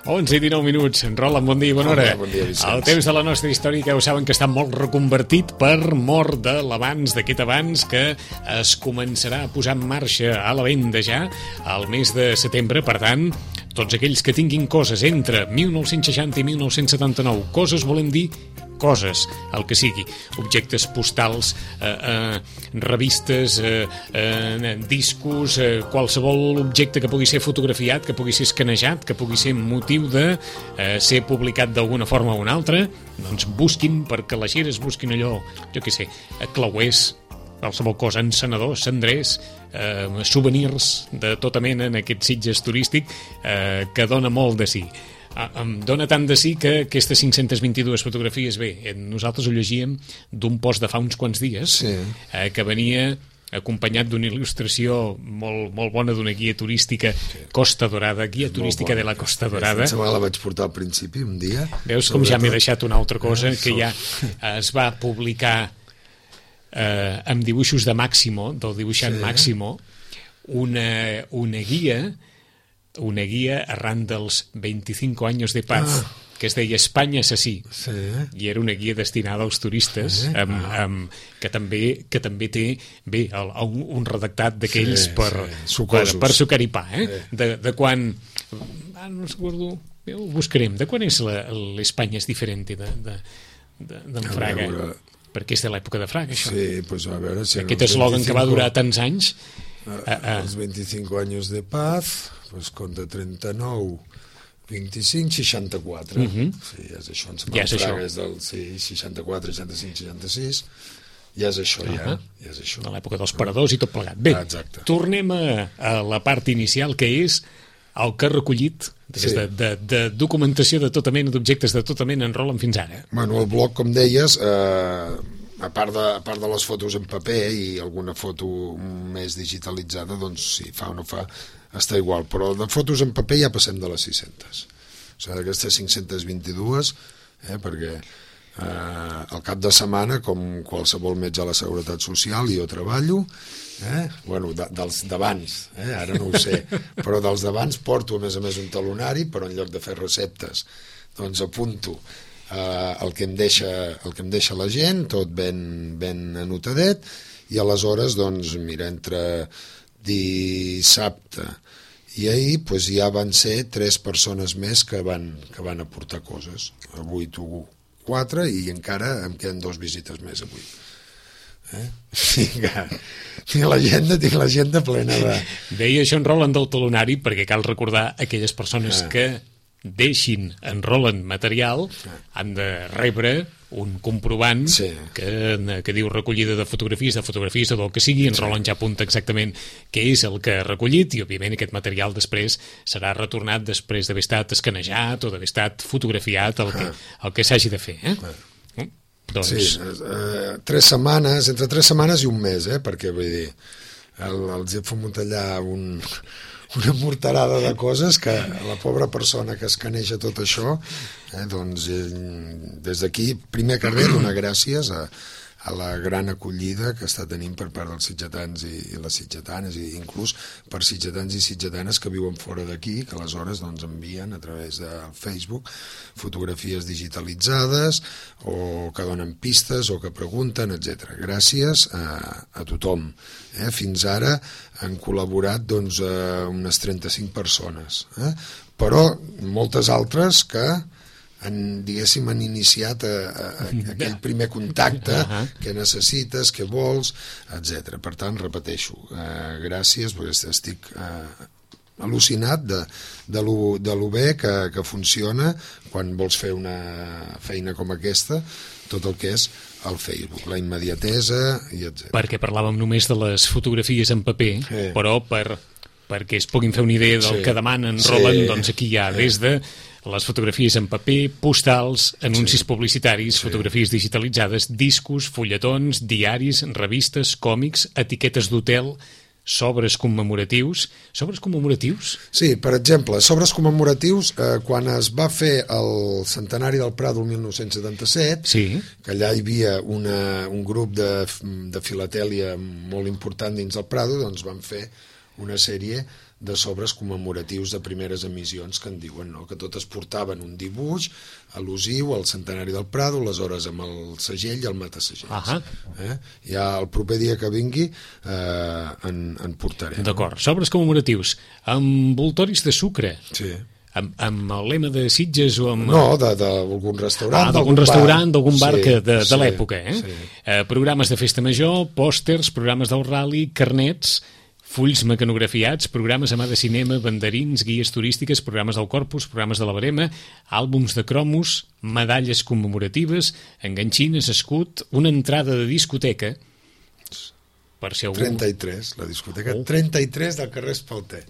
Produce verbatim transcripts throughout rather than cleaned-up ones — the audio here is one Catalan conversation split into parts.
onze i dinou minuts. Roland, bon dia i bona hora. Hola, bon dia, Vicenç. El temps de la nostra història, que ja ho saben que està molt reconvertit per mort de l'abans, d'aquest abans que es començarà a posar en marxa a la venda ja al mes de setembre. Per tant, tots aquells que tinguin coses entre mil nou-cents seixanta i mil nou-cents setanta-nou, coses volem dir coses, el que sigui, objectes postals, eh, eh, revistes, eh, eh, discos, eh, qualsevol objecte que pugui ser fotografiat, que pugui ser escanejat, que pugui ser motiu de eh, ser publicat d'alguna forma o una altra, doncs busquin, perquè les xeres busquin allò, jo què sé, clauers, qualsevol cosa, encenedors, cendrers, eh, souvenirs de tota mena en aquest Sitges turístic eh, que dona molt de si. Em dona tant de sí que aquestes cinc-centes vint-i-dues fotografies, bé, nosaltres ho llegíem d'un post de fa uns quants dies, sí. eh, que venia acompanyat d'una il·lustració molt, molt bona d'una guia turística, sí. Costa Dorada, guia turística de la Costa Dorada. Em sembla que la vaig portar al principi un dia. Veus com ja m'he deixat una altra cosa, que ja es va publicar eh, amb dibuixos de Máximo, del dibuixant sí. Máximo, una, una guia una guia arran dels veinticinc anys de paz, ah. que es deia Espanya assassí, sí. I era una guia destinada als turistes, sí. amb, amb, que, també, que també té bé, el, un, un redactat d'aquells sí, per, sí. per, per sucar i pa, eh? Sí. De, de quan... Ah, no recordo... Ho buscarem. De quan és l'Espanya és diferent de, de, de, d'en Fraga? Veure... Perquè és de l'època de Fraga, això. Sí, doncs a veure... Si aquest eslògan que va durar tants anys... Uh, uh, els veinticinc anys de paz... Pues compta trenta-nou, vint-i-cinc, seixanta-quatre. Uh-huh. Sí, ja és això. Ja és això. És del sí, seixanta-quatre, seixanta-cinc, seixanta-sis. Ja és això, uh-huh. ja. ja és això. De l'època dels paradors i tot plegat. Bé, ah, tornem a, a la part inicial, que és el que ha recollit sí. de, de, de documentació de tota mena, d'objectes de tota mena en Roland fins ara. Bueno, el blog, com deies... Eh... A part, de, a part de les fotos en paper i alguna foto més digitalitzada, doncs si fa o no fa, està igual. Però de fotos en paper ja passem de les sis-centes. O sigui, d'aquestes cinc-centes vint-i-dues, eh, perquè eh, al cap de setmana, com qualsevol metge a la Seguretat Social, jo treballo, eh, bueno, de, dels d'abans, eh, ara no ho sé, però dels d'abans porto a més a més un talonari, però en lloc de fer receptes, doncs apunto Uh, el que em deixa el que em deixa la gent, tot ben, ben anotadet, i aleshores doncs mira, entre dissabte i ahir pues, ja van ser tres persones més que van, que van aportar coses. Avui tu quatre i encara em queden dos visites més avui. Eh? Tinc l'agenda, tinc l'agenda plena de... Deia això en Roland del talonari perquè cal recordar aquelles persones ah. que deixin en Roland material, han de rebre un comprovant sí. que, que diu recollida de fotografies, de fotografies o del que sigui, en sí. Roland ja apunta exactament què és el que ha recollit i òbviament aquest material després serà retornat després d'haver estat escanejat o d'haver estat fotografiat el que, el que s'hagi de fer. Eh? Mm? Doncs... Sí, eh, tres setmanes, entre tres setmanes i un mes, eh? Perquè vull dir, el, els he fumut allà un... una morterada de coses que la pobra persona que escaneja tot això, eh, doncs eh, des d'aquí, primer que res, donar gràcies a, a la gran acollida que està tenint per part dels sitgetans i, i les sitgetanes, i inclús per sitgetans i sitgetanes que viuen fora d'aquí, que aleshores doncs, envien a través del Facebook fotografies digitalitzades o que donen pistes o que pregunten, etcètera. Gràcies a, a tothom. Eh? Fins ara han col·laborat doncs, eh, unes trenta-cinc persones, eh? Però moltes altres que han, diguéssim, han iniciat a, a, a aquell primer contacte que necessites, que vols, etcètera. Per tant, repeteixo, eh, gràcies, perquè estic eh, al·lucinat de, de, lo, de lo bé que, que funciona quan vols fer una feina com aquesta, tot el que és el Facebook, la immediatesa i etcètera. Perquè parlàvem només de les fotografies en paper, sí. Però per, perquè es puguin fer una idea del sí. que demanen Roland, sí. Doncs aquí hi ha des de les fotografies en paper, postals, anuncis sí. publicitaris, sí. fotografies digitalitzades, discos, fulletons, diaris, revistes, còmics, etiquetes d'hotel, sobres commemoratius. Sobres commemoratius? Sí, per exemple, sobres commemoratius, eh, quan es va fer el centenari del Prado el mil nou-cents setanta-set, sí. que allà hi havia una, un grup de, de filatèlia molt important dins del Prado, doncs van fer una sèrie de sobres commemoratius de primeres emissions que en diuen, no? Que totes portaven un dibuix al·lusiu al centenari del Prado, aleshores amb el segell i el matasegells. Eh? Ja el proper dia que vingui eh, en, en portaré. D'acord, sobres commemoratius amb envoltoris de sucre. Sí. Amb, amb el lema de Sitges o amb... No, d'algun restaurant. Ah, d'algun restaurant, d'algun bar sí, que de, de sí, l'època. Eh? Sí. Eh, programes de festa major, pòsters, programes del rally, carnets, fulls mecanografiats, programes a mà de cinema, banderins, guies turístiques, programes del Corpus, programes de la Barema, àlbums de cromos, medalles commemoratives, enganxines, escut, una entrada de discoteca, per si algú... trenta-tres, la discoteca. Oh. trenta-tres del carrer Espalter.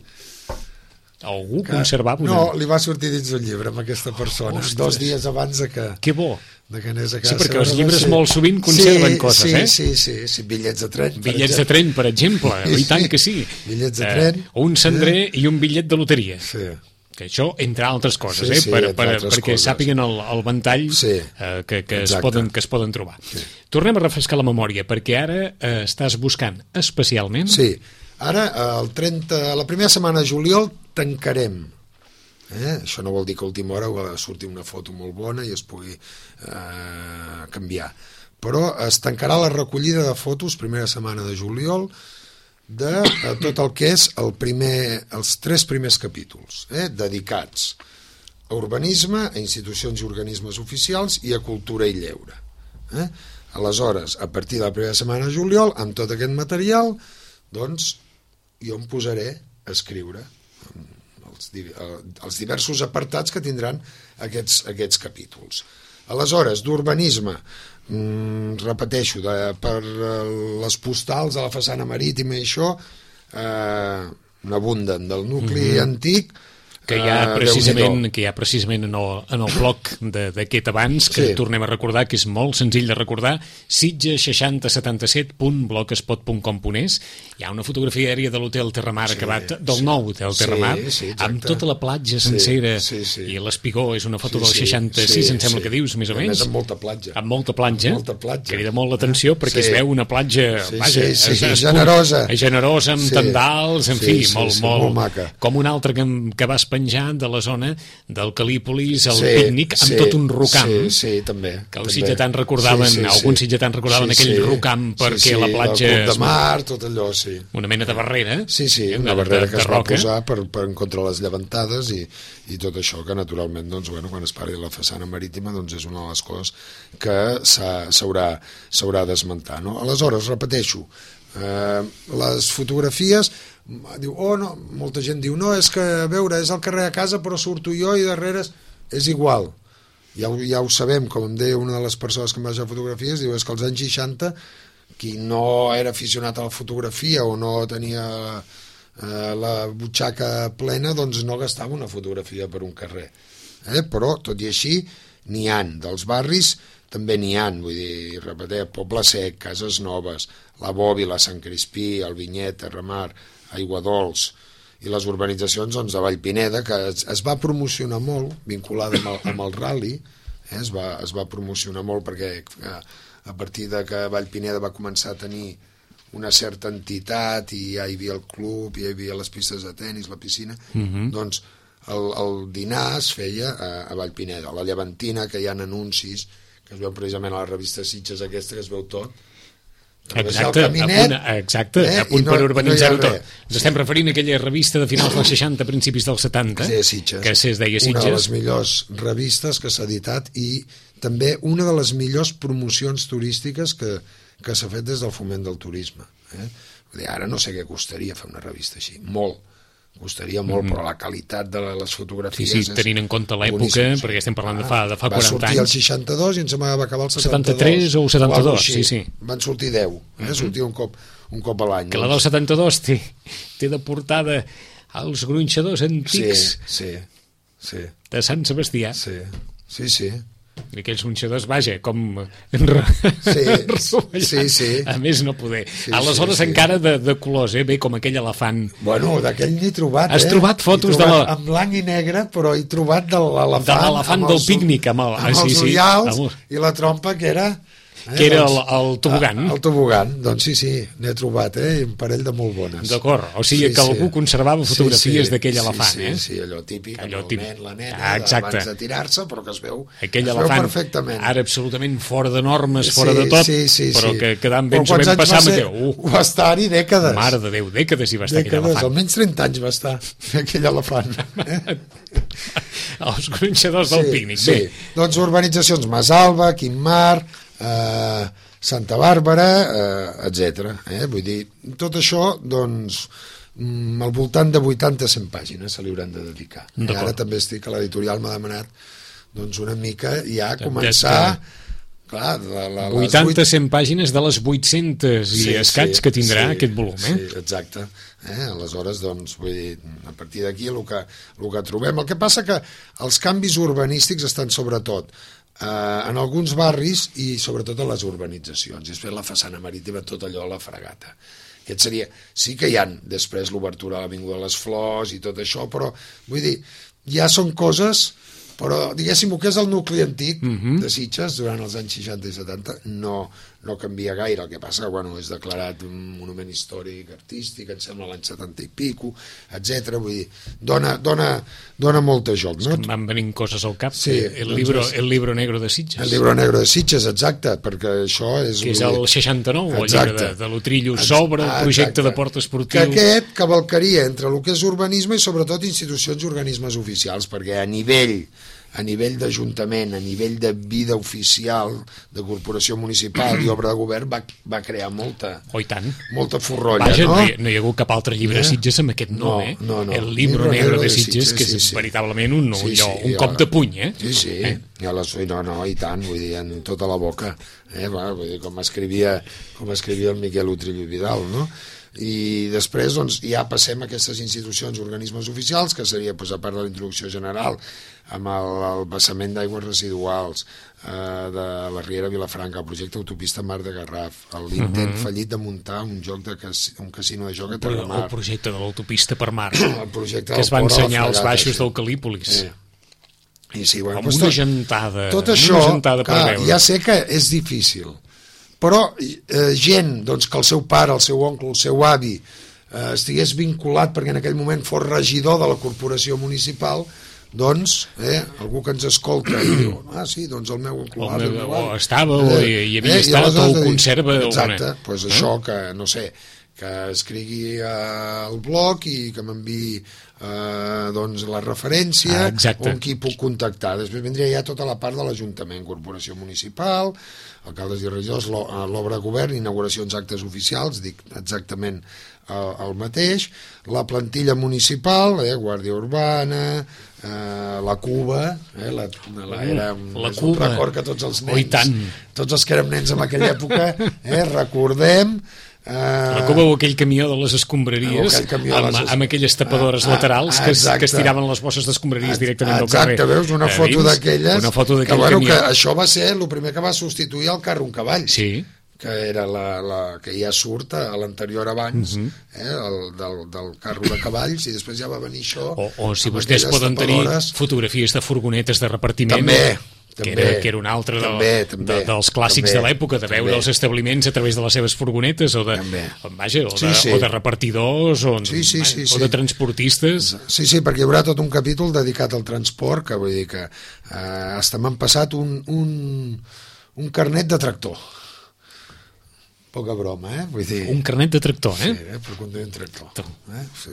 Algú Que, conservava una... no, li va sortir dins d'un llibre amb aquesta persona, Ostres. dos dies abans de que... Que bo! De que anés a casa Sí, perquè els seva, llibres sí. molt sovint conserven sí, coses, sí, eh? Sí, sí, sí, bitllets de tren. Bitllets de tren, per exemple, i tant que sí. Bitllets de tren. Eh, un cendrer eh? i un bitllet de loteria. Sí. Que això, entre altres coses, Sí, eh? sí, per, entre per, altres perquè coses. sàpiguen el, el ventall Sí, eh, que, que, es exacte. poden, que es poden trobar. Sí. Tornem a refrescar la memòria, perquè ara eh, estàs buscant especialment... Sí, ara el trenta, la primera setmana de juliol tancarem. Eh? Això no vol dir que a última hora ha de sortir una foto molt bona i es pugui eh, canviar. Però es tancarà la recollida de fotos primera setmana de juliol de eh, tot el que és el primer, els tres primers capítols, eh? dedicats a urbanisme, a institucions i organismes oficials i a cultura i lleure. Eh? Aleshores, a partir de la primera setmana de juliol, amb tot aquest material, doncs jo em posaré a escriure els, els diversos apartats que tindran aquests, aquests capítols. Aleshores, d'urbanisme, mmm, repeteixo, de, per les postals de la façana marítima i això, eh, n'abunden del nucli mm-hmm. antic, que hi ha precisament, que hi ha precisament en el, en el bloc d'aquest abans, que sí. Tornem a recordar, que és molt senzill de recordar, sitges seixanta setanta-set punt blogspot punt com punt es. Hi ha una fotografia aèria de l'hotel Terramar sí, acabat, del sí. nou hotel Terramar, sí, sí, amb tota la platja sencera, sí, sí, sí. i l'Espigó és una foto sí, del seixanta-sis, sí, em sembla sí. que dius, més o menys. Amb molta platja. Amb molta platja, amb molta platja. Crida molt l'atenció perquè sí. es veu una platja sí, vaja, sí, sí, es, sí, es, generosa. Generosa, amb sí. tendals, en sí, fi, sí, molt, sí, molt, molt maca. Com un altre que, que vas penjar de la zona del Calípolis, el sí, pícnic, amb sí, tot un rocam. Sí, sí, també. Que els sitgetans recordaven, sí, sí, alguns sitgetans recordaven sí, aquell sí, rocam perquè sí, sí, la platja... el club de mar, tot allò, sí. Una mena de barrera. Sí, sí, una de, barrera de, que de es va roca. posar per, per en contra les llevantades i, i tot això, que naturalment, doncs, bueno, quan es parli de la façana marítima, doncs és una de les coses que s'haurà d'esmentar, no? Aleshores, repeteixo, eh, les fotografies... Diu, oh, no, molta gent diu, no, és que, a veure, és al carrer a casa, però surto jo i darrere és igual. Ja, ja ho sabem, com em deia una de les persones que em va deixar fotografies, diu, és que als anys seixanta, qui no era aficionat a la fotografia o no tenia eh, la butxaca plena, doncs no gastava una fotografia per un carrer. Eh? Però, tot i així, n'hi han. Dels barris també n'hi han, vull dir, repetir, Poble Sec, Cases Noves, la Bòbila, Sant Crispí, el Vinyet, Terramar, Aiguadols i les urbanitzacions doncs, de Vallpineda, que es, es va promocionar molt, vinculada amb el, amb el rally, eh? es, va, es va promocionar molt perquè eh, a partir de que Vallpineda va començar a tenir una certa entitat i ja hi havia el club, ja hi havia les pistes de tennis, la piscina, mm-hmm. doncs el, el dinar es feia a, a Vallpineda. A la Llevantina, que hi ha anuncis, que es veu precisament a la revista Sitges aquesta, que es veu tot, exacte, caminet, a punt, exacte, eh? a punt no, per urbanitzar-ho no tot. Ens sí. estem referint a aquella revista de finals dels seixanta, principis dels setanta, que es deia Sitges. Que es deia Sitges. Una de les millors revistes que s'ha editat i també una de les millors promocions turístiques que, que s'ha fet des del foment del turisme. Eh? Vull dir, ara no sé què costaria fer una revista així, molt. Costaria molt, mm-hmm. però la qualitat de les fotografies... Sí, sí, tenint en compte l'època, perquè estem parlant de fa, de fa quaranta anys. Va sortir el seixanta-dos i ens va acabar el setanta-dos. setanta-tres o setanta-dos, sí, sí. Van sortir deu, eh? Mm-hmm. Sortia un cop, un cop a l'any. Que la del setanta-dos té, té de portada els gronxadors antics sí, sí, sí. de Sant Sebastià. Sí, sí, sí. I aquells gronxadors, vaja, com... Sí, sí, sí. A més no poder. Sí, aleshores sí, sí. encara de, de colors, eh? Bé, com aquell elefant. Bueno, d'aquell n'he trobat, Has eh? trobat fotos trobat de la... en blanc i negre, però he trobat de l'elefant... De l'elefant del pícnic, amb, el... amb ah, sí, els sí. ullals Amb... i la trompa, que era... Eh? Que era doncs, el, el tobogan. El tobogan, doncs sí, sí, n'he trobat, eh? Un parell de molt bones. D'acord, o sigui sí, que algú sí. conservava fotografies sí, sí. d'aquell sí, elefant, sí, eh? Sí, sí, allò típic, allò el típic. nen, la nena, ah, abans de tirar-se, però que es veu, aquell es elefant, veu perfectament. Ara absolutament fora de normes, fora sí, de tot, sí, sí, però sí. que quedant ben sabent passar, va, ser, uh, va estar-hi dècades. Mare de Déu, dècades hi va estar dècades, aquell elefant. Almenys trenta anys va estar aquell elefant. Eh? Els gronxadors del sí, pícnic. Sí. Bé. Doncs urbanitzacions Masalba, Quimar, eh, Santa Bàrbara, eh, etcètera. Eh? Vull dir, tot això, doncs, mm, al voltant de vuitanta a cent pàgines se li hauran de dedicar. I ara també estic a l'editorial, m'ha demanat doncs una mica ja començar... Clar, la, la, vuitanta a cent pàgines de les vuit-centes i sí, escaig sí, que tindrà sí, aquest volum, eh? Sí, exacte. Eh? Aleshores, doncs, vull dir, a partir d'aquí el que, el que trobem. El que passa que els canvis urbanístics estan sobretot eh, en alguns barris i sobretot a les urbanitzacions. I després la façana marítima, tot allò a la fregata. Aquest seria... Sí que hi ha després l'obertura a l'Avinguda de les Flors i tot això, però, vull dir, ja són coses... Però, diguéssim, el que és el nucli antic uh-huh. de Sitges, durant els anys seixanta i setanta, no, no canvia gaire. El que passa que, bueno, és declarat un monument històric artístic, em sembla l'any setanta i pico, etcètera. Vull dir, dona, dona, dona molt de joc, no? És que em van venint coses al cap. Sí, el, doncs libro, el libro negro de Sitges. El libro negro de Sitges, exacte, perquè això és... Que és el seixanta-nou, el llibre de, de l'Utrillo sobre el projecte exacte. De port esportiu. Que aquest cavalcaria entre el que és urbanisme i sobretot institucions i organismes oficials, perquè a nivell... a nivell d'Ajuntament, a nivell de vida oficial, de corporació municipal i obra de govern, va, va crear molta, oh, tant. molta forrolla. Vaja, no? No, hi, no hi ha hagut cap altre llibre de eh? Sitges amb aquest nom, no, eh? No, no. El Libro Negro de Sitges, Sitges, que és sí, sí. veritablement un, sí, allò, sí, un cop de puny, eh? Sí, sí, eh? ja la, no, no, i tant, vull dir, en tota la boca, eh? Va, vull dir, com escrivia, com escrivia el Miquel Utrillo Vidal, no? I després doncs, ja passem a aquestes institucions, organismes oficials, que seria, doncs, a part de la introducció general, amb el, el vessament d'aigües residuals eh, de la Riera Vilafranca, el projecte Autopista Mar de Garraf, l'intent uh-huh. fallit de muntar un joc de cas, un casino de joc a Terramar. El projecte de l'autopista per mar, el projecte que es va ensenyar als baixos sí. del Calípolis. Eh. I sí, bueno, amb una gentada. Tot això, una gentada per clar, veure. ja sé que és difícil, però eh, gent doncs, que el seu pare, el seu oncle, el seu avi eh, estigués vinculat perquè en aquell moment fos regidor de la corporació municipal, doncs eh, algú que ens escolta i diu, ah sí, doncs el meu oncle o, avi, meu, meu o avi, estava eh, o hi, hi havia eh, estat o ho dir, conserva exacte, alguna... doncs eh? això que no sé, que escrigui al blog i que m'enviï eh, doncs la referència ah, o amb qui puc contactar. Després vindria ja tota la part de l'Ajuntament, corporació municipal, alcaldes i regidors, l'obra de govern, inauguracions, actes oficials, dic exactament el, el mateix, la plantilla municipal, eh, Guàrdia Urbana, eh, la Cuba, eh, la, la, era un, la és Cuba. Un record que tots els nens, oh, tant. tots els que érem nens en aquella època, eh, recordem. Uh, la Cuba o aquell camió de les escombraries aquell amb, les... amb aquelles tapadores uh, laterals uh, que, que es tiraven les bosses d'escombraries directament del carrer. Exacte, veus, una foto d'aquelles una foto que, bueno, camió. Que això va ser el primer que va substituir el carro un cavall, sí. que era la, la que ja surt a l'anterior abans, uh-huh. eh, el, del, del carro de cavalls, i després ja va venir això. O, o si vostès poden tapadores. Tenir fotografies de furgonetes de repartiment. També. Que també, era, que era un altre també, del, també, de, dels clàssics també, de l'època, de veure també. Els establiments a través de les seves furgonetes o de, vaja, o, de, sí, sí. o de repartidors o, sí, sí, sí, o sí. de transportistes. Sí, sí, perquè hi haurà tot un capítol dedicat al transport, que vull dir que eh, hasta m'han passat un, un, un carnet de tractor. Poca broma, eh? Vull dir... Un carnet de tractor, eh? Sí, eh? Per conduir un tractor. Eh? Sí.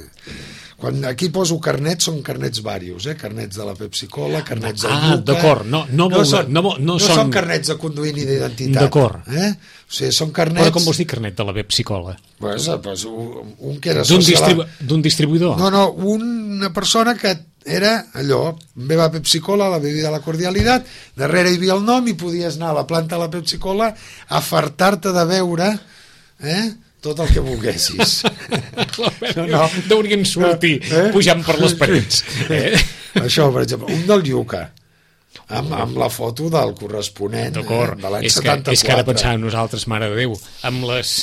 Quan aquí poso carnets, són carnets varios, eh? Carnets de la Pepsi-Cola, carnets de ah, Yuca... Ah, d'acord, no, no, no, són, no, no, no són... són carnets de conduir ni d'identitat. D'acord. Eh? O sigui, són carnets... Però com vols dir carnet de la Pepsi-Cola? Pues, pues, un, un que era D'un social... distribu distribuïdor? No, no, una persona que era allò, beva Pepsi-Cola, la bebida de la cordialitat, darrere hi havia el nom i podies anar a la planta de la Pepsi-Cola a fartar-te de beure... Eh? tot el que volguessis. no, no. Deurien sortir eh? pujant per les parets. Eh? Això, per exemple, un del Yuca, amb, amb la foto del corresponent eh? de l'any setanta-quatre. És que ara pensàvem nosaltres, mare de Déu, amb les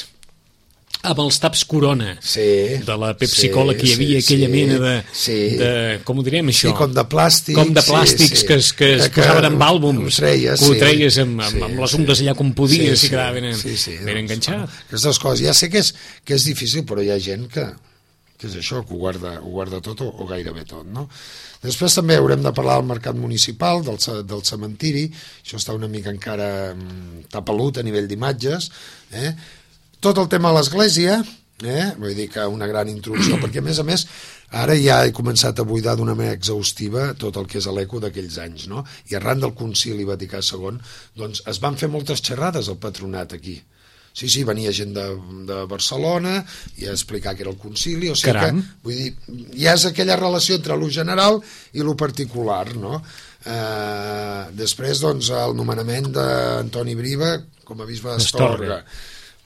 amb els taps Corona sí, de la Pepsi-Cola, sí, que hi havia sí, aquella sí, mena de, sí. de... Com ho direm, això? Sí, com de plàstics. Com de plàstics sí, sí. que es, que es que, posaven amb àlbums. Treies, que ho sí. treies amb, amb, sí, amb les sí. ungles allà com podies sí, i quedava ben, sí, sí, ben doncs, enganxat. Bueno, aquestes coses. Ja sé que és, que és difícil, però hi ha gent que, que és això, que ho guarda, ho guarda tot o, o gairebé tot, no? Després també haurem de parlar del mercat municipal, del, del cementiri. Això està una mica encara tapelut a nivell d'imatges. Eh? Tot el tema de l'església, eh? Vull dir que una gran introducció, perquè a més a més ara ja he començat a buidar d'una manera exhaustiva tot el que és l'eco d'aquells anys, no? I arran del concili Vaticà segon, doncs es van fer moltes xerrades al patronat aquí. Sí, sí, venia gent de, de Barcelona i a explicar què era el concili, o sigui Caram. que, vull dir, ja és aquella relació entre lo general i lo particular, no? Eh, després, doncs, el nomenament d'Antoni Briva com a bisbe d'Astorga.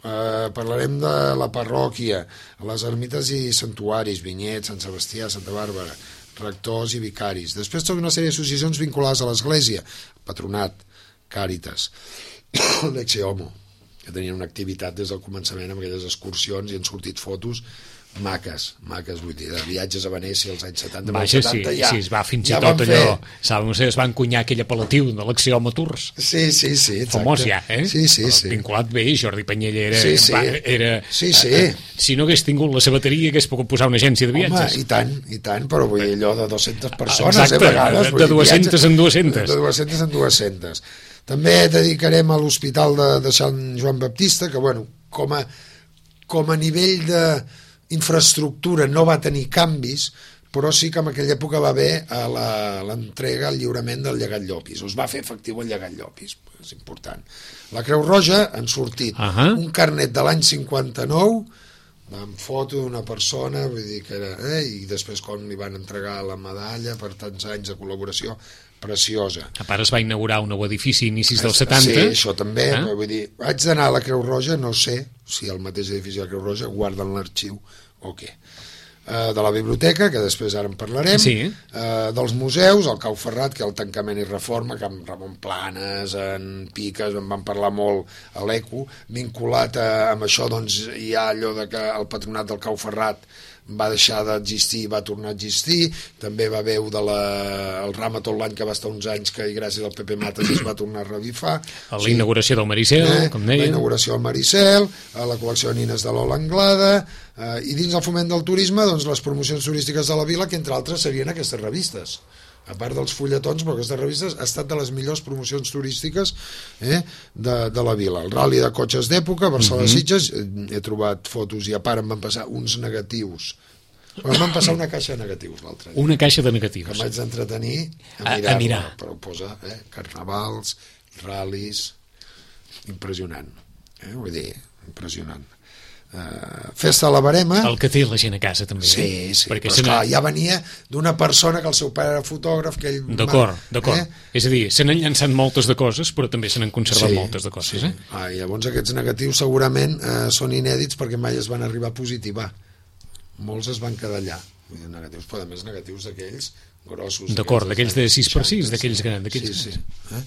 Uh, parlarem de la parròquia, les ermites i santuaris, Vinyet, Sant Sebastià, Santa Bàrbara, rectors i vicaris. Després tota una sèrie d'associacions vinculades a l'Església, Patronat, Càritas, l'Ecce Homo, que tenien una activitat des del començament amb aquelles excursions i han sortit fotos maques, maques, vull dir, de viatges a Venècia als anys setanta. Vaja, setanta, sí, ja, sí, es va fins i ja tot allò, fer... saben, es va encunyar aquell apel·latiu de l'Axioma Tours. Sí, sí, sí, exacte. Famós ja, eh? Sí, sí, sí. Vinculat bé, Jordi Penyella era... Sí, sí. Va, era sí, sí. Eh, si no hagués tingut la sabateria, hagués pogut posar una agència de viatges. Home, i tant, i tant, però vull dir, allò de dues-centes persones, exacte, eh, a vegades. de, de dues-centes en dues-centes. De dues-centes en dues-centes. També dedicarem a l'Hospital de, de Sant Joan Baptista, que, bueno, com a, com a nivell de infraestructura no va tenir canvis, però sí que en aquella època va haver l'entrega, el lliurament del llegat Llopis. Es va fer efectiu el llegat Llopis, és important. La Creu Roja han sortit uh -huh. un carnet de l'any cinquanta-nou amb foto d'una persona, vull dir que era, eh, i després quan li van entregar la medalla per tants anys de col·laboració, preciosa. A part es va inaugurar un nou edifici a inicis dels setanta. Sí, això també, eh? vull dir, haig d'anar a la Creu Roja, no sé si el mateix edifici de la Creu Roja guarden l'arxiu o què. Uh, de la biblioteca, que després ara en parlarem, sí. uh, dels museus, el Cau Ferrat, que el tancament i reforma, que amb Ramon Planes, en Piques, en van parlar molt a l'Eco, vinculat a, amb això, doncs hi ha allò de que el patronat del Cau Ferrat va deixar d'existir i va tornar a existir. També va haver de la, el Rama tot l'any, que va estar uns anys que gràcies al P P Mates es va tornar a revifar. A la inauguració del Maricel, eh, com deia. La inauguració del Maricel, a la col·lecció de nines de l'Ola Anglada, eh, i dins del foment del turisme, doncs les promocions turístiques de la vila, que entre altres serien aquestes revistes. A part dels fulletons, però aquestes revistes ha estat de les millors promocions turístiques eh, de, de la vila. El ral·li de cotxes d'època, Barcelona-Sitges, uh-huh. he trobat fotos i a part em van passar uns negatius. Però em van passar una caixa de negatius l'altre dia. Una caixa de negatius. Que m'haig d'entretenir a, a, a mirar. Però ho posa, eh, carnavals, ral·lis, impressionant. Eh, vull dir, impressionant. Uh, festa a la Barema, el que té la gent a casa també, sí, eh? sí, perquè però esclar, ja venia d'una persona que el seu pare era fotògraf, que ell... D'acord, d'acord. Eh? És a dir, se n'han llançat moltes de coses, però també se n'han conservat sí, moltes de coses, sí. eh? Ah, i llavors aquests negatius segurament eh, són inèdits perquè mai es van arribar a positivar. Molts es van quedar allà. Negatius, però a més negatius d'aquells grossos. D'acord, d'aquells de sis per sis, d'aquells grans. Sí, sí. Eh?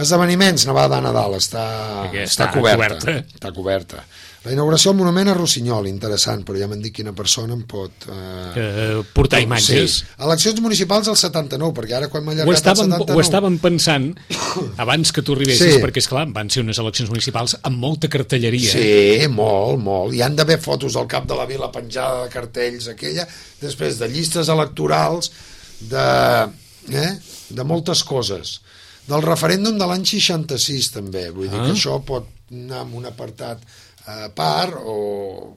Esdeveniments, Nevada de Nadal, està, està, està coberta, coberta. Està coberta. La inauguració del monument a Rossinyol, interessant, però ja m'han dit quina persona em pot... Eh, uh, portar imatges. Sí. Eleccions municipals al setanta-nou, perquè ara quan m'ha allargat ho estàvem, el setanta-nou... Ho estàvem pensant abans que tu arribessis, sí. perquè, esclar, van ser unes eleccions municipals amb molta cartelleria. Sí, molt, molt. Hi han d'haver fotos del cap de la vila penjada de cartells, aquella, després de llistes electorals, de, eh, de moltes coses. Del referèndum de l'any seixanta-sis, també. Vull dir ah. que això pot anar en un apartat a part o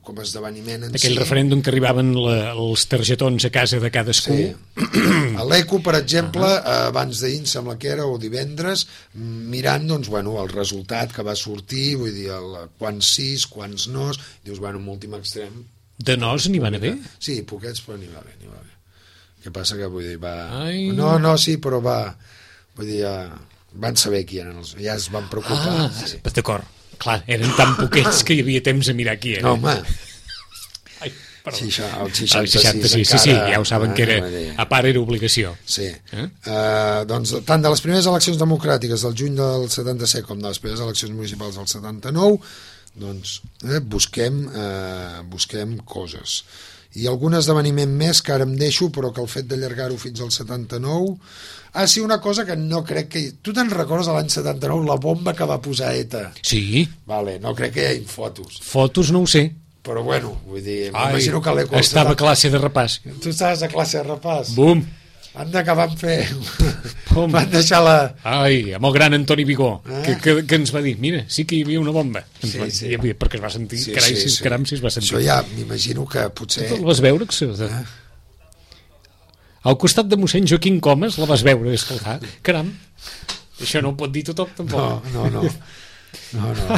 com a esdeveniment en aquell si. Referèndum que arribaven la, els targetons a casa de cadascú. Sí. A l'Eco, per exemple, uh-huh. abans d'ahir, em sembla que era, o divendres, mirant, doncs, bueno, el resultat que va sortir, vull dir, el, quants sis, quants nos, dius, bueno, en últim extrem. De nos n'hi van haver? Sí, poquets, però n'hi va haver, n'hi va haver. Què passa que, vull dir, va... Ai. No, no, sí, però va... Vull dir, ja... van saber qui eren els... ja es van preocupar. Ah, sí. D'acord. Clar, eren tan poquets que hi havia temps a mirar qui era. No, home. Ai, perdó. Sí, això, el seixanta-sis, el seixanta-sis sí, sí, encara, ja ho saben que era, a part era obligació. Sí. Eh? Uh, doncs tant de les primeres eleccions democràtiques del juny del setanta-set com de les primeres eleccions municipals del setanta-nou, doncs eh, busquem, eh, busquem coses. I algun esdeveniment més que ara em deixo, però que el fet d'allargar-ho fins al setanta-nou... Ah, sí, una cosa que no crec que... Tu te'n recordes a l'any setanta-nou la bomba que va posar ETA? Sí. Vale, no crec que hi hagi fotos. Fotos no ho sé. Però bueno, vull dir, m'imagino que l'Eco... Estava a classe de repàs. Tu estaves a classe de repàs? Bum! Han d'acabar amb fer... Bum. Van deixar la... Ai, amb el gran Antoni Vigó, eh? que, que, que ens va dir, mira, sí que hi havia una bomba. Sí, sí. Havia, perquè es va sentir, sí, carai, sí, si, sí. caram, si es va sentir. Això ja m'imagino que potser... Tu la vas veure? Que... Eh? Al costat de mossèn Joaquim Comas la vas veure, escoltar. Caram, això no ho pot dir tothom, tampoc. No, no, no. No, no.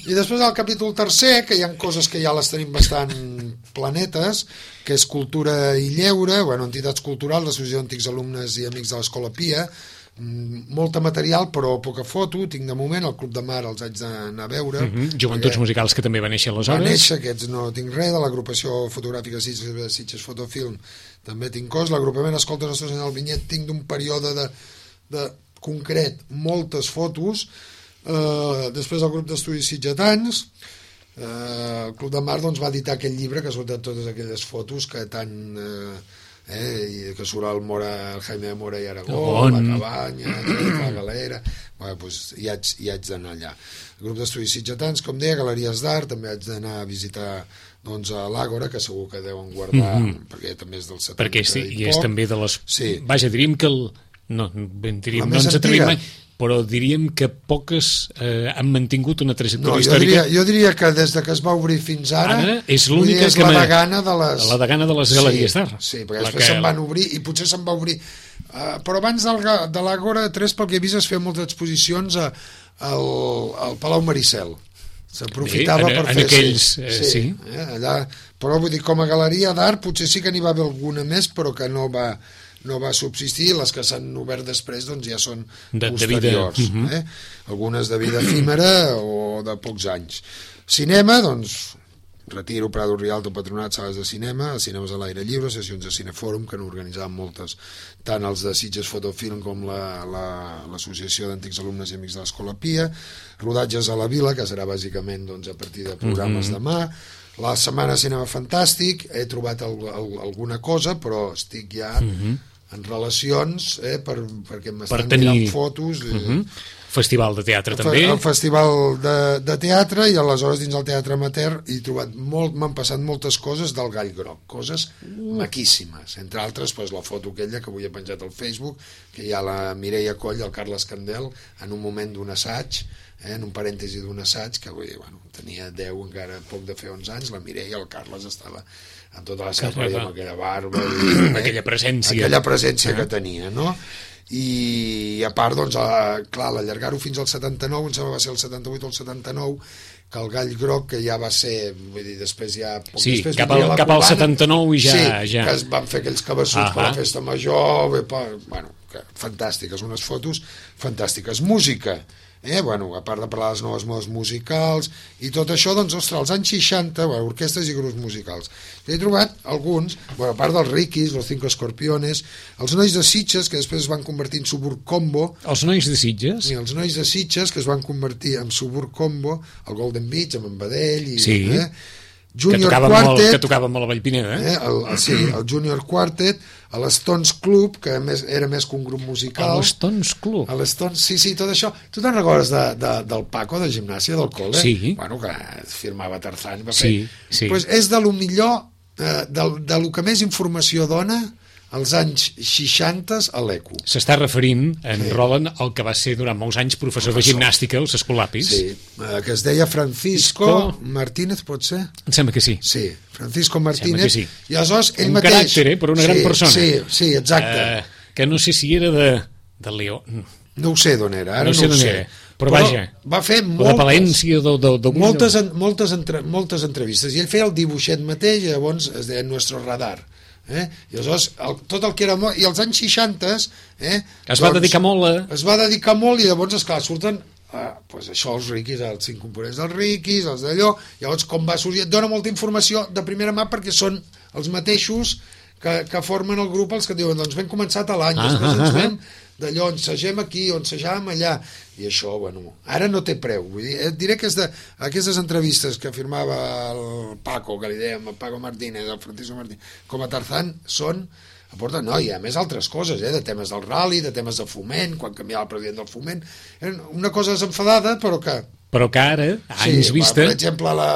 I després al capítol tercer, que hi ha coses que ja les tenim bastant planetes, que és cultura i lleure, bueno, entitats culturals, l'associació d'antics alumnes i amics de l'Escola Pia, molta material però poca foto, tinc de moment el Club de Mar els haig d'anar a veure. Mm-hmm. Joventuts musicals que també va néixer aleshores. Va néixer, aquests no tinc res, de l'agrupació fotogràfica Sitges, Sitges Fotofilm també tinc cos, l'agrupament Escolta Nostra Senyora del Vinyet tinc d'un període de, de concret moltes fotos. Uh, després el grup d'estudis sitgetans, uh, el Club de Mar doncs, va editar aquell llibre que ha sortit totes aquelles fotos que tant uh, eh, que surt el, Mora, el Jaime de Mora i Aragó, la Cabanya, la Galera. Bueno, doncs, hi haig, hi haig d'anar allà. El grup d'estudis sitgetans, com deia, galeries d'art, també haig d'anar a visitar doncs, a l'Àgora, que segur que deuen guardar, mm-hmm. perquè també és del setanta perquè sí, i, i és també de les... Sí. Vaja, diríem que el... no, ben, diríem, no ens atrevim mai, però diríem que poques eh, han mantingut una trajectòria no, jo històrica. Diria, jo diria que des de que es va obrir fins ara, ara és l'única és que la degana de les... la degana de les galeries d'art. Sí, sí, perquè després que... se'n van obrir, i potser se'n va obrir... Uh, però abans del, de l'Àgora tres, pel que he vist, es feien moltes exposicions a, al, al Palau Maricel. S'aprofitava per en fer... aquells, eh, sí. sí eh, allà, però vull dir, com a galeria d'art potser sí que n'hi va haver alguna més, però que no va... no va subsistir, les que s'han obert després doncs ja són de, posteriors, de vida. eh? Algunes de vida efímera o de pocs anys. Cinema, doncs Retiro, Prado, Rialto, Patronat, sales de cinema, cinemes a l'aire lliure, sessions de cinefòrum que n'organitzaven moltes, tant els de Sitges Fotofilm com l'Associació la, la, d'Antics Alumnes i Amics de l'Escola Pia, rodatges a la Vila, que serà bàsicament doncs, a partir de programes mm-hmm. demà. La setmana Cinema Fantàstic, he trobat el, el, alguna cosa, però estic ja mm-hmm. en relacions, eh, per, perquè m'estan per tenir... mirant fotos. Mm-hmm. Festival de teatre també. El festival de, de teatre, i aleshores dins el teatre amateur he trobat molt, m'han passat moltes coses del Gall Groc, coses mm. maquíssimes, entre altres pues, la foto aquella que avui he penjat al Facebook, que hi ha la Mireia Coll i el Carles Candel en un moment d'un assaig, eh, en un parèntesi d'un assaig, que vull dir, bueno, tenia deu, encara poc de fer onze anys, la Mireia i el Carles estava amb tota la seva amb aquella barba i, eh, aquella presència aquella presència ah. que tenia, no? I a part, doncs, a, clar, l'allargar-ho fins al setanta-nou, em sembla que va ser el setanta-vuit o el setanta-nou, que el Gall Groc, que ja va ser, vull dir, després ja... Poc sí, després cap al, cap al setanta-nou i ja... Sí, ja. que es van fer aquells cabassuts per la festa major, bé, per, bueno, que, fantàstiques, unes fotos fantàstiques. Música, eh, bueno, a part de parlar de les noves modes musicals i tot això, doncs, ostres, als anys seixanta, bueno, orquestres i grups musicals. He trobat alguns, bueno, a part dels Riquis, los Cinco Escorpiones, els nois de Sitges, que després es van convertir en Suburb Combo. Els nois de Sitges? Sí, els nois de Sitges, que es van convertir en Suburb Combo, el Golden Beach, amb en Badell, i, sí. eh, Junior que Quartet, molt, que tocava molt a Vallpineda, eh? eh el, el, sí, el Junior Quartet, a l'Stones Club, que més, era més que un grup musical. A l'Stones Club? A l'Stones, sí, sí, tot això. Tu te'n recordes de, de, del Paco, de gimnàsia, del col·le? Sí. Bueno, que firmava Tarzán. Va sí, fer. sí. Pues és de lo millor, eh, de, de lo que més informació dona als anys seixanta a l'E C U. S'està referint, en sí. Roland, al que va ser durant molts anys professor, professor. de gimnàstica als Escolapis. Sí, eh, que es deia Francisco Isco... Martínez, pot ser? Em sembla que sí. Sí, Francisco Martínez. Sí. I aleshores ell un mateix... Un caràcter, eh, per una sí, gran persona. Sí, sí, exacte. Uh, que no sé si era de, de Leó. No ho sé d'on era, ara no sé, no ho sé. Era. Però, però vaja, va fer moltes, de Palència, de, de, de... moltes, moltes, entre, moltes entrevistes, i ell feia el dibuixet mateix, i llavors es deia Nuestro Radar. Eh? I aleshores el, tot el que era molt, i als anys seixanta eh, es doncs, va dedicar molt a... es va dedicar molt, i llavors esclar, surten ah, pues això, els Riquis, els cinc components dels Riquis, els d'allò, llavors com va sorgir, et dona molta informació de primera mà perquè són els mateixos que, que formen el grup, els que diuen doncs vam començar a l'any, ah, després ens vam d'allò, ensegem aquí o ensejàvem allà, i això, bueno, ara no té preu. Vull dir, et diré que és de, aquestes entrevistes que firmava el Paco, que li dèiem, el Paco Martínez, el Francisco Martínez, com a Tarzán, són, aporten, no, hi ha més altres coses, eh, de temes del rally, de temes de foment, quan canviava el president del foment, una cosa desenfadada, però que... Però que ara, anys sí, vista... Per exemple, la,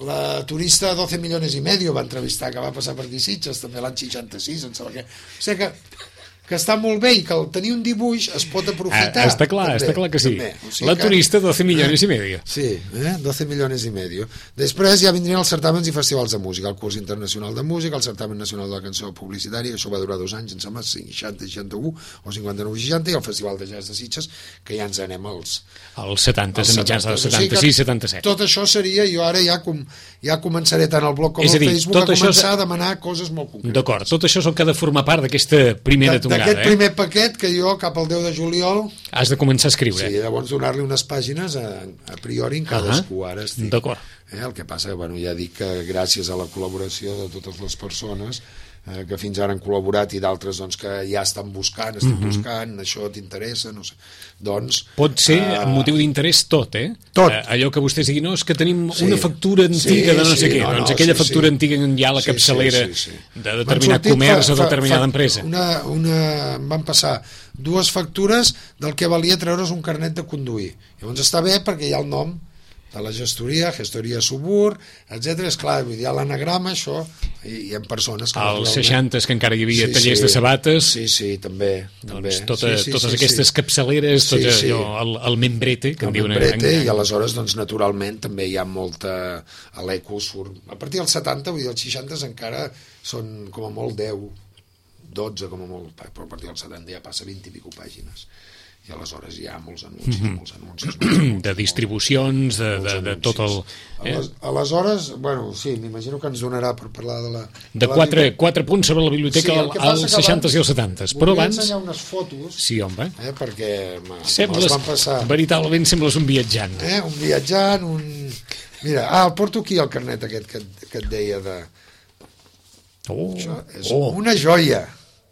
la turista doce milions i medio va entrevistar, que va passar per aquí Sitges, també l'any seixanta-sis, em sembla que... O sigui que... que està molt bé i que el tenir un dibuix es pot aprofitar. Ah, està clar, també, està clar que sí. O sigui la que, turista, doce milions i medio. Sí, eh? doce milions i medio. Després ja vindrien els certàmens i festivals de música, el curs internacional de música, el certamen nacional de la cançó publicitària, això va durar dos anys, em sembla, seixanta, seixanta-u o cinquanta-nou, seixanta, i el festival de jazz de Sitges, que ja ens anem als... Els setanta, a mitjans dels setanta-sis, setanta-set. Tot això seria, jo ara ja, com, ja començaré tant al blog com al Facebook a començar a demanar coses molt concretes. D'acord, tot això és el que ha de formar part d'aquesta primera tongada. D'aquest eh? primer paquet que jo cap al deu de juliol... Has de començar a escriure. Sí, llavors donar-li unes pàgines a, a priori en cadascú. Ah, ara estic... D'acord. Eh, el que passa, bueno, ja dic que gràcies a la col·laboració de totes les persones eh, que fins ara han col·laborat i d'altres doncs, que ja estan buscant, estan mm-hmm. buscant, això t'interessa, no sé. Doncs... Pot ser uh, amb motiu d'interès tot, eh? Tot. Uh, allò que vostès diguin, no, és que tenim sí. una factura antiga sí, de no sé sí, què, no, doncs no, aquella sí, factura sí. antiga hi ha la sí, capçalera sí, sí, sí. de determinat comerç fa, o determinada fa, empresa. Una, una, em van passar dues factures del que valia treure's un carnet de conduir. Llavors està bé perquè hi ha el nom de la gestoria, gestoria Subur, etcètera. És clar, vull dir, a l'anagrama això, i hi ha persones... Que als seixantes, que encara hi havia sí, tallers sí, de sabates... Sí, sí, també. Doncs també. Tota, sí, sí, totes sí, aquestes sí. capçaleres, tot sí, sí. allò, el, el membrete, que el en diuen... membrete, en... i aleshores, doncs, naturalment, també hi ha molta... A l'eco surt... A partir dels setanta, vull dir, els seixanta encara són com a molt deu, dotze com a molt, però a partir dels setanta ja passa vint i pico pàgines. I aleshores hi ha molts anuncis, mm-hmm. molts anuncis. Molts, molts, de distribucions, de, de, de tot el... Eh? Aleshores, bueno, sí, m'imagino que ens donarà per parlar de la... De, de quatre, la... quatre punts sobre la biblioteca sí, als seixantes i als setantes. Però abans... ensenyar unes fotos... Sí, home. Eh, perquè sembles, van passar... Veritablement sembles un viatjant. Eh, un viatjant, un... Mira, ah, el porto aquí, el carnet aquest que, que et deia de... Oh, Això és oh. una joia.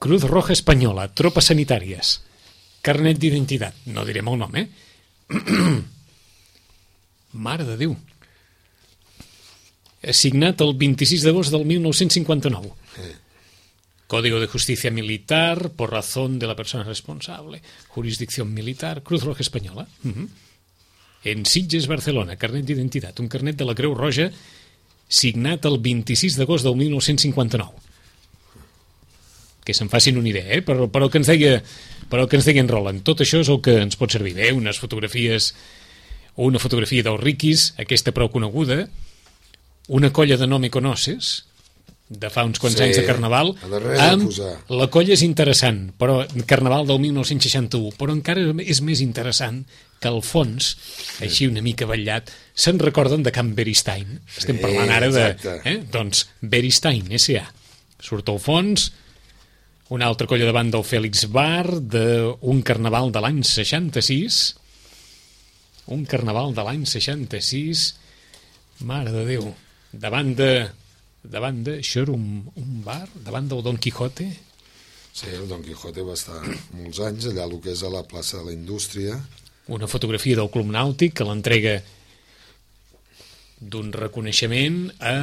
Cruz Roja Espanyola, tropes sanitàries. Carnet d'identitat, no direm el nom, eh? Mare de Déu. Signat el vint-i-sis d'agost del mil nou-cents cinquanta-nou. Eh. Código de Justicia Militar, por razón de la persona responsable. Jurisdicción militar, Cruz Roja Espanyola. Uh-huh. En Sitges, Barcelona, carnet d'identitat. Un carnet de la Creu Roja signat el vint-i-sis d'agost del mil nou-cents cinquanta-nou. Que se'n facin una idea, eh? Però, però que ens deia... Però que ens deia en Roland, tot això és el que ens pot servir bé, unes fotografies, una fotografia dels Riquis, aquesta prou coneguda, una colla de No Me Conoces, de fa uns quants sí, anys de Carnaval, amb la colla és interessant, però Carnaval del mil nou-cents seixanta-u, però encara és més interessant que al fons, així una mica vetllat, se'n recorden de Camp Beristain. Sí, estem parlant ara de... Eh? Doncs Beristain, S A Surt al fons... Una altra colla davant del Fèlix Bar, d'un carnaval de l'any seixanta-sis. Un carnaval de l'any seixanta-sis. Mare de Déu. Davant de... Davant de... Això era un, un bar? Davant del Don Quijote? Sí, el Don Quijote va estar molts anys allà, el que és a la plaça de la Indústria. Una fotografia del Club Nàutic que l'entrega d'un reconeixement a...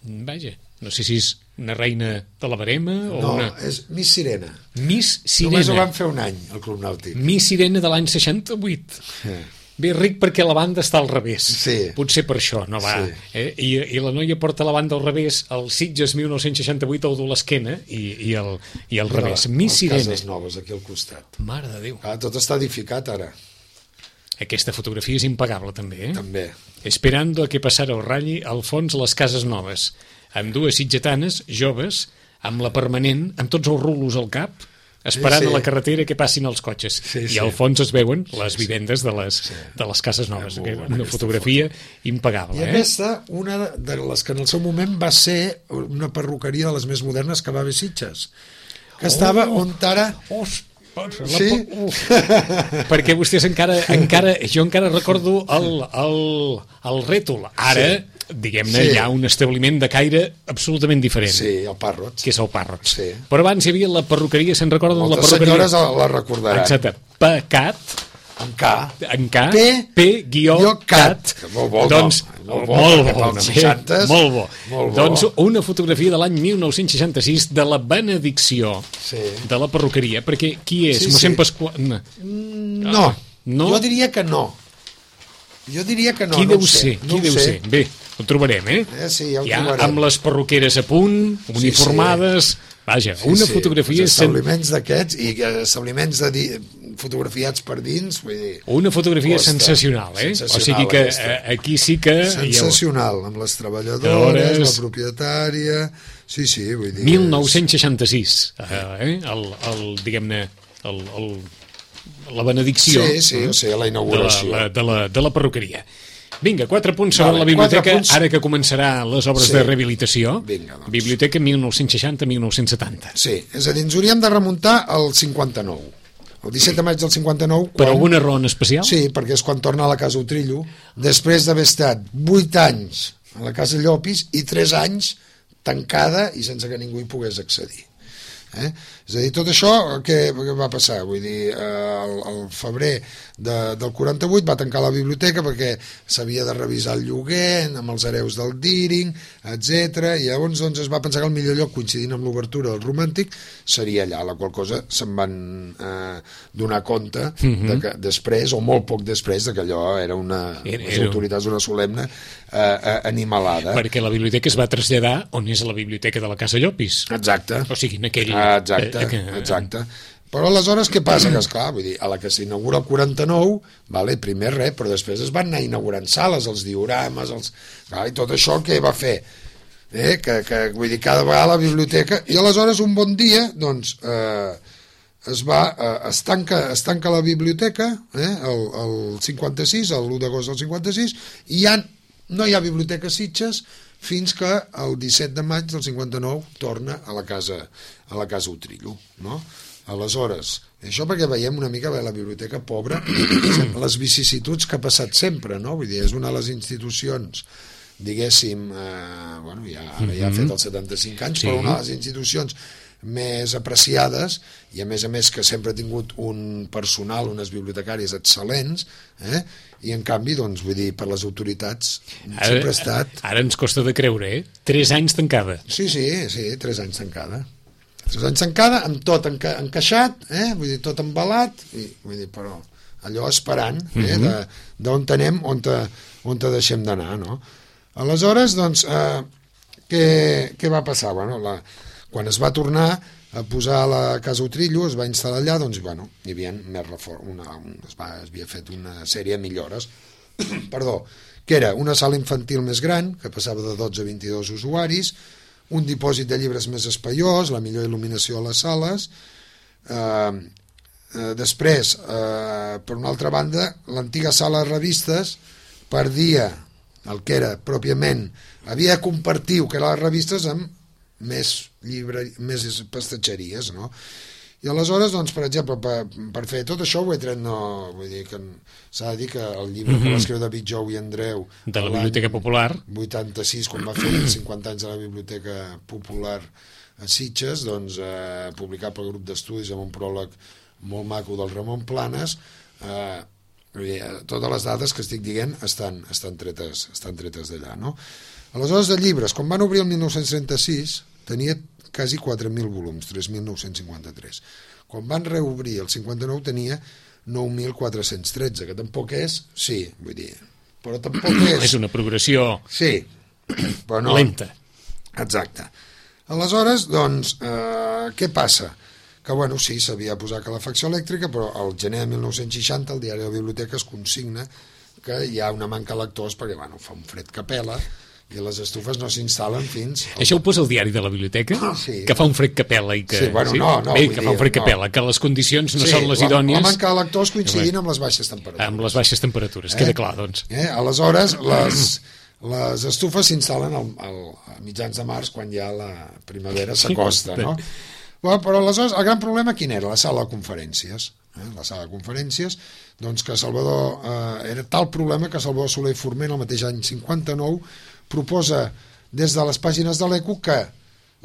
Vaja, no sé si és una reina de la Barema o no, una... és Miss Sirena. Miss Sirena. Només ho van fer un any, al Club Nàutic. Miss Sirena de l'any seixanta-vuit. Eh. Bé, ric perquè la banda està al revés. Sí. Potser per això, no va. Sí. Eh? I, I la noia porta la banda al revés, el Sitges mil nou-cents seixanta-vuit al dur l'esquena i, i, el, i al revés. No, Miss Sirena. Cases Noves, aquí al costat. Mare de Déu. Ah, tot està edificat ara. Aquesta fotografia és impagable, també, eh? També. Esperando a que passara el ratlli al fons les cases noves, amb dues sitgetanes, joves, amb la permanent, amb tots els rulos al cap, esperant sí, sí. a la carretera que passin els cotxes. Sí, I sí. al fons es veuen les sí, vivendes de les, sí. de les cases noves. Ja, una fotografia foto. impagable. I eh? aquesta, una de les que en el seu moment va ser una perruqueria de les més modernes que va haver Sitges, que estava oh, on ara... Oh, sí? Perquè vostès encara, encara... Jo encara recordo el, el, el rètol. Ara... Sí. diguem-ne, Sí. hi ha un establiment de caire absolutament diferent, Sí, el Parrots. que és el Parrots. Sí. Però abans hi havia la perruqueria, se'n recorden de la Moltes perruqueria? senyores la recordaran. Exacte. Pecat, En K. en K, P, P, guió, guió, cat. cat. Que molt bo, doncs, no? Molt molt bo, bo, perquè pels home, seixantes, molt bo. molt bo. Doncs una fotografia de l'any mil nou-cents seixanta-sis de la benedicció Sí. de la perruqueria, perquè qui és? Sí, Mossèn sí. Pasqual... No. No. No? Jo diria que no. Jo diria que no. Qui no deu ho sé, ser? no Qui ho deu sé. ser? Bé, ho trobarem, eh? Eh, sí, ja ho ja trobarem. amb les perruqueres a punt, uniformades... Vaja, Sí, una sí, fotografia... els sen- establiments d'aquests i eh, establiments de di... fotografiats per dins, vull dir... Una fotografia Costa. sensacional, eh? Sensacional, o sigui que aquesta. eh, aquí sí que... Sensacional, amb les treballadores, Treballadores. la propietària... Sí, sí, vull dir... mil nou-cents seixanta-sis, eh? el, el, diguem-ne, el, el, la benedicció Sí, sí, o sigui, la de, la, inauguració. la, de, la, de la perruqueria. Vinga, quatre punts sobre Vale, la biblioteca, quatre punts. ara que començarà les obres Sí. de rehabilitació. Vinga, doncs. Biblioteca mil nou-cents seixanta a mil nou-cents setanta. Sí, és a dir, ens hauríem de remuntar al cinquanta-nou. El disset de maig del cinquanta-nou... Per quan- alguna raó en especial? Sí, perquè és quan torna a la Casa Utrillo, després d'haver estat vuit anys a la Casa Llopis i tres anys tancada i sense que ningú hi pogués accedir. Eh? És a dir, tot això què, què va passar? Vull dir, eh, el, el febrer de, del quaranta-vuit va tancar la biblioteca perquè s'havia de revisar el lloguer amb els hereus del Deering, etcètera. I llavors doncs, es va pensar que el millor lloc, coincidint amb l'obertura del Romàntic, seria allà, la qual cosa se'n van eh, donar compte Mhm. de que després, o molt poc després, de que allò era una, Era- les era- autoritats una solemne eh, eh, animalada. Perquè la biblioteca es va traslladar on és la biblioteca de la Casa Llopis. Exacte. O sigui, en aquell... Ah, exacte, eh, que- exacte. Però aleshores què passa? Que esclar, vull dir, a la que s'inaugura el quaranta-nou, vale, primer res, però després es van anar inaugurant sales, els diorames, els... Clar, i tot això què va fer? Eh? Que, que, vull dir, cada vegada la biblioteca... I aleshores un bon dia, doncs, eh, es va, eh, es, tanca, es tanca la biblioteca, eh, el, el cinquanta-sis, l'u d'agost del cinquanta-sis, i ja no hi ha biblioteca a Sitges fins que el disset de maig del cinquanta-nou torna a la casa, a la casa Utrillo, no? Aleshores, això perquè veiem una mica bé la biblioteca pobra, les vicissituds que ha passat sempre, no? Vull dir, és una de les institucions, diguéssim, eh, bueno, ja, ara ja ha fet els setanta-cinc anys, Sí. però una de les institucions més apreciades i a més a més que sempre ha tingut un personal, unes bibliotecàries excel·lents, eh? I en canvi, doncs, vull dir, per les autoritats sempre ha estat... Ara ens costa de creure, eh? Tres anys tancada. Sí, sí, sí, tres anys tancada. Tres anys tancada, amb tot enca encaixat, eh? Vull dir, tot embalat, i, vull dir, però allò esperant, eh? de, d'on anem, on te, on te deixem d'anar, no? Aleshores, doncs, eh, què, què va passar? Bueno, la, quan es va tornar a posar a la Casa Utrillo, es va instal·lar allà, doncs, bueno, hi havia més reform, una, un, es, va, es havia fet una sèrie de millores, perdó, que era una sala infantil més gran, que passava de dotze a vint-i-dos usuaris, un dipòsit de llibres més espaiós, la millor il·luminació a les sales, eh, eh, després, eh, per una altra banda, l'antiga sala de revistes perdia el que era pròpiament, havia de compartir el que eren les revistes amb més llibre, més pastatgeries, no? I aleshores, doncs, per exemple, per, per fer tot això ho he tret, no, vull dir que s'ha de dir que el llibre mm -hmm. que va escriure David Jou i Andreu De la Biblioteca Popular. vuitanta-sis, quan va fer els cinquanta anys de la Biblioteca Popular a Sitges, doncs, eh, publicat pel grup d'estudis amb un pròleg molt maco del Ramon Planes, eh, vull dir, totes les dades que estic dient estan, estan tretes, estan tretes d'allà, no? Aleshores, de llibres, quan van obrir el mil nou-cents trenta-sis, tenia quasi quatre mil volums, tres mil nou-cents cinquanta-tres. Quan van reobrir el cinquanta-nou tenia nou mil quatre-cents tretze, que tampoc és, sí, vull dir, però tampoc és... És una progressió Sí, però no... lenta. Exacte. Aleshores, doncs, eh, què passa? Que, bueno, sí, s'havia posat calefacció elèctrica, però al gener de mil nou-cents seixanta el diari de la Biblioteca es consigna que hi ha una manca de lectors perquè, bueno, fa un fred que pela i les estufes no s'instal·len fins... Això ho posa el diari de la biblioteca? Ah, sí. Que fa un fred que pela i que... Sí, bueno, no, no, Bé, vull que dir, fa un fred que no. pela, que les condicions no Sí, són les la- idònies... La manca de lectors coincidint amb les baixes temperatures. Amb les baixes temperatures, Eh? queda clar, doncs. Eh? Aleshores, les, les estufes s'instal·len al, al, a mitjans de març, quan ja la primavera s'acosta, no? Bueno, però aleshores, el gran problema quin era? La sala de conferències. Eh? La sala de conferències, doncs que Salvador... Eh, era tal problema que Salvador Soler i Forment, el mateix any cinquanta-nou, proposa des de les pàgines de l'Eco que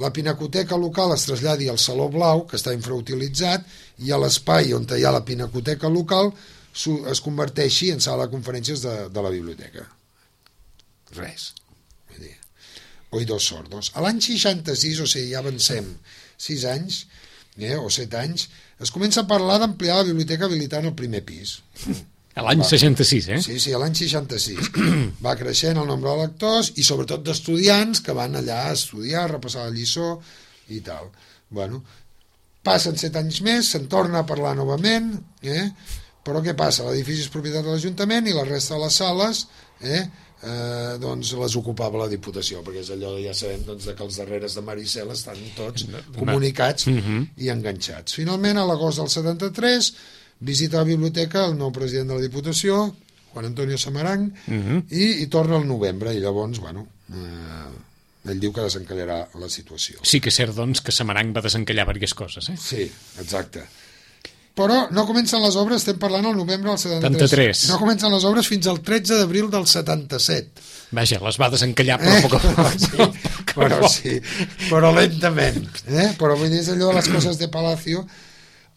la pinacoteca local es traslladi al Saló Blau, que està infrautilitzat, i a l'espai on hi ha la pinacoteca local es converteixi en sala de conferències de, de la biblioteca. Res. Vull dir, oïdos sordos. A l'any seixanta-sis, o sigui, ja avancem sis anys, eh, o set anys, es comença a parlar d'ampliar la biblioteca habilitant el primer pis. A l'any seixanta-sis, eh? Sí, sí, a l'any seixanta-sis. Va creixent el nombre de lectors i sobretot d'estudiants que van allà a estudiar, a repassar la lliçó i tal. Bueno, passen set anys més, se'n torna a parlar novament, eh? Però què passa? L'edifici és propietat de l'Ajuntament i la resta de les sales eh, eh, doncs les ocupava la Diputació, perquè és allò, ja sabem doncs, que els darreres de Maricel estan tots comunicats uh-huh. i enganxats. Finalment, a l'agost del setanta-tres, visita la biblioteca el nou president de la Diputació, Juan Antonio Samarang, uh-huh. i, i torna al novembre, i llavors, bueno, eh, ell diu que desencallarà la situació. Sí que és cert, doncs, que Samarang va desencallar diverses coses, eh? Sí, exacte. Però no comencen les obres, estem parlant al novembre del setanta-tres. setanta-tres. No comencen les obres fins al tretze d'abril del setanta-set. Vaja, les va desencallar, però eh? poc a poc. Sí, però sí, però lentament. Eh? Però vull dir, és allò de les coses de Palacio.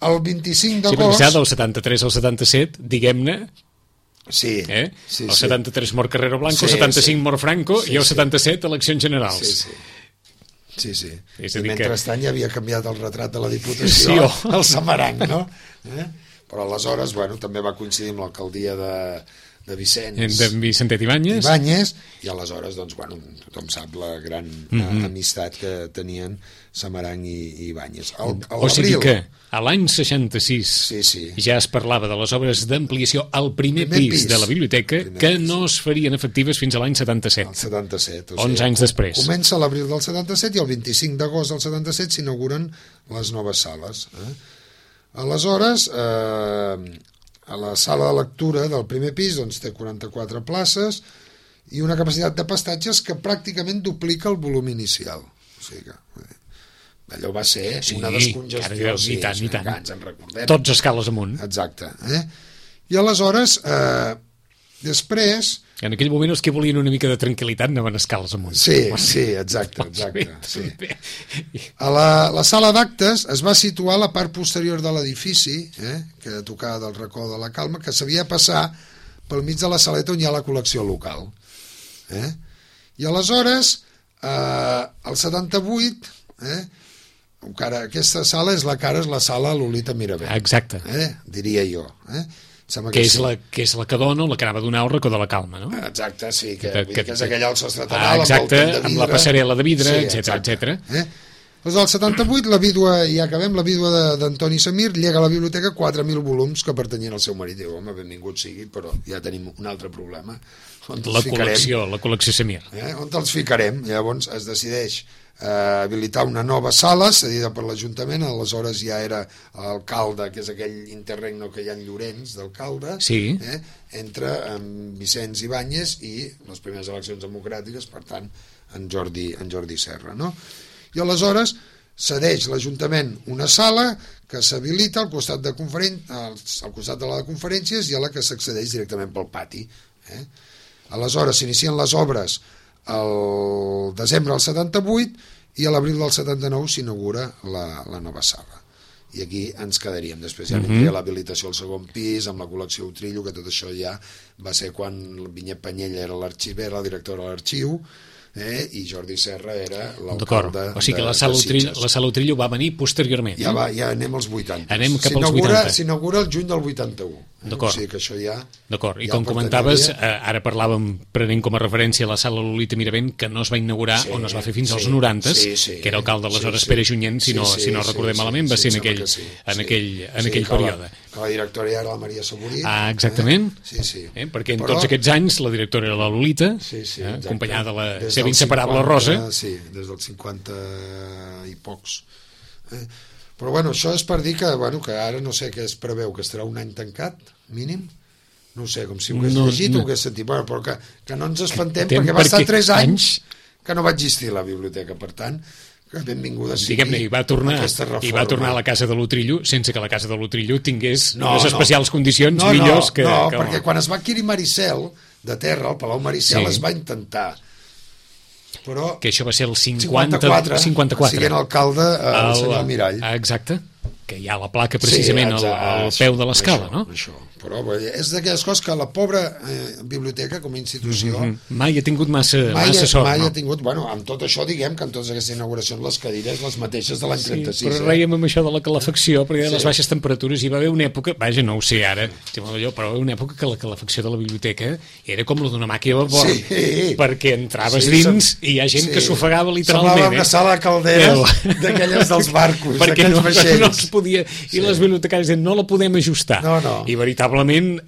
El vint-i-cinc d'agost... Sí, del setanta-tres al setanta-set, diguem-ne, sí, eh? sí, el sí. setanta-tres mort Carrero Blanco, sí, el setanta-cinc sí. mort Franco sí, i el sí. setanta-set eleccions generals. Sí, sí. Sí, sí. És I mentrestant que... ja havia canviat el retrat de la Diputació sí, oh. al Samarang, no? Eh? Però aleshores, bueno, també va coincidir amb l'alcaldia de, de Vicenç. De Vicentet Ibáñez. Ibáñez, i aleshores, doncs, bueno, tothom sap la gran mm-hmm. amistat que tenien Samarang i, i Ibáñez. El, o sigui que a l'any seixanta-sis sí, sí. ja es parlava de les obres d'ampliació al primer, primer pis, pis de la biblioteca que pis. no es farien efectives fins a l'any setanta-set. El setanta-set. O onze sigui, anys després. Comença l'abril del setanta-set i el vint-i-cinc d'agost del setanta-set s'inauguren les noves sales. Eh? Aleshores, eh, a la sala de lectura del primer pis doncs, té quaranta-quatre places i una capacitat de pastatges que pràcticament duplica el volum inicial. O sigui que... allò va ser sí, una descongestió, sí, i tant, i tant. Ens en recordem. Tots escales amunt. Exacte. Eh? I aleshores, eh, després... En aquell moment els que volien una mica de tranquil·litat anaven escales amunt. Sí, sí, exacte. exacte sí. A la, la sala d'actes es va situar a la part posterior de l'edifici, eh, que tocava del racó de la Calma, que s'havia de passar pel mig de la saleta on hi ha la col·lecció local. Eh? I aleshores, eh, el setanta-vuit... Eh, Cara, aquesta sala és la cara és la sala Lolita Mirabent. Exacte. Eh? Diria jo. Eh? Que, que, és sí. la, que és la que dona o la que anava a donar al racó de la Calma, no? Exacte, sí, que, que, que, que és aquella alça ah, estatal exacte, amb, amb la passarel·la de vidre, sí, etcètera, etcètera. Eh? Doncs al setanta-vuit la vídua, i ja acabem, la vídua d'Antoni Samir llega a la biblioteca quatre mil volums que pertanyien al seu marit. Diu, home, benvingut sigui, però ja tenim un altre problema. La col·lecció, la col·lecció Samir. Eh? On els ficarem? Llavors es decideix eh, habilitar una nova sala cedida per l'Ajuntament. Aleshores ja era l'alcalde, que és aquell interregno que hi ha en Llorenç d'alcalde, sí. eh? Entra amb Vicenç Ibáñez i les primeres eleccions democràtiques, per tant en Jordi, en Jordi Serra, no? I aleshores cedeix l'Ajuntament una sala que s'habilita al costat de conferen... al, al costat de la de conferències i a la que s'accedeix directament pel pati, eh? Aleshores s'inicien les obres el desembre del setanta-vuit i a l'abril del setanta-nou s'inaugura la, la nova sala. I aquí ens quedaríem. Després ja vindria uh-huh. l'habilitació al segon pis, amb la col·lecció Utrillo, que tot això ja va ser quan Vinyet Penyella era l'arxiver, la directora de l'arxiu, eh? I Jordi Serra era l'alcalde. O sigui que la sala, Utrillo, la sala Utrillo va venir posteriorment. Ja, va, ja anem als vuitanta. Anem cap als vuitanta. S'inaugura el juny del vuitanta-u. D'acord. O sigui que això ja... D'acord. I ja com comentaves, eh, ara parlàvem, prenent com a referència la sala Lolita Mirabent, que no es va inaugurar sí, o no es va fer fins sí, als noranta, sí, sí, que era alcalde aleshores sí, sí. Pere Junyent, si no, sí, sí, si no recordem sí, malament, va sí, ser sí, en aquell, sí, en sí. aquell, en sí, aquell que període. La, que la directora era la Maria Saborí. Ah, exactament. Eh? Sí, sí. Eh? Perquè en Però... tots aquests anys la directora era la Lolita, sí, sí, eh? acompanyada de la des seva inseparable cinquanta, Rosa. Sí, des dels cinquanta i pocs. Eh? Però bueno, això és per dir que, bueno, que ara no sé què es preveu, que estarà un any tancat, mínim. No sé, com si ho hagués no, llegit no. o ho hagués sentit, bueno, però que, que no ens espantem Tem, perquè va estar tres anys que no va existir la biblioteca, per tant que benvinguda sigui Diguem-ne, i va tornar, i va tornar a la casa de l'Utrillo sense que la casa de l'Utrillo tingués no, unes especials no. condicions no, millors no, que... No, que perquè quan es va adquirir Maricel de terra, el Palau Maricel sí. es va intentar Però que això va ser el cinquanta, cinquanta-quatre, cinquanta-quatre. siguent alcalde el, el senyor Mirall. Exacte, que hi ha la placa precisament sí, exacte, al, al peu de l'escala, no? Això, però és d'aquelles coses que la pobra eh, biblioteca com a institució mm -hmm. mai ha tingut massa, mai, massa sort, mai no? ha tingut, bueno, amb tot això diguem que en totes aquestes inauguracions les cadires les mateixes de l'any sí, trenta-sis. Però eh? reiem amb això de la calefacció, perquè sí. les baixes temperatures hi va haver una època, vaja, no ho sé ara, però va haver una època que la calefacció de la biblioteca era com la d'una màquina de vapor, sí. perquè entraves sí, dins som... i hi ha gent sí. que s'ofegava literalment. Semblava una sala de calderes d'aquelles dels barcos, perquè no, vaixells. no es podia, i sí. les bibliotecàries deien, no la podem ajustar. No, no. I veritablement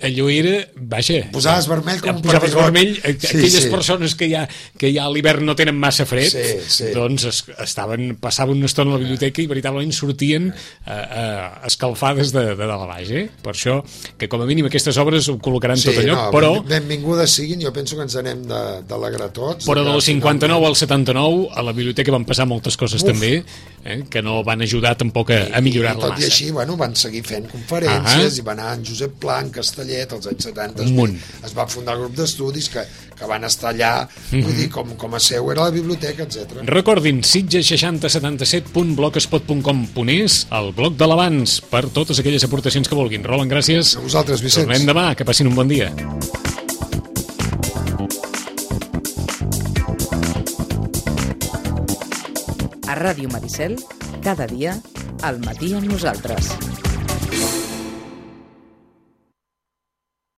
allò era, vaja... Posaves vermell com un posaves perdigot. vermell, sí, aquelles sí. persones que ja, que ja a l'hivern no tenen massa fred, sí, sí. doncs es, estaven, passaven una estona a la biblioteca i veritablement sortien eh, eh, escalfades de, de dalt a baix, eh? Per això, que com a mínim aquestes obres ho col·locaran sí, tot allò, no, però... benvingudes siguin, jo penso que ens anem d'alegrar tots. Però del cinquanta-nou al setanta-nou a la biblioteca van passar moltes coses Uf. també, eh, que no van ajudar tampoc a, a millorar-la massa. Tot i així, bueno, van seguir fent conferències, uh -huh. i va anar en Josep Pla, en Castellet, als anys setanta, es va fundar el grup d'estudis que, que van estar allà, mm -hmm. vull dir, com, com a seu era la biblioteca, etcètera. Recordin, sitges seixanta setanta-set punt blogspot punt com punt es, el blog de l'abans, per totes aquelles aportacions que vulguin. Roland, gràcies. A vosaltres, Vicenç. Tornem demà, que passin un bon dia. A Ràdio Maricel, cada dia, al matí amb nosaltres.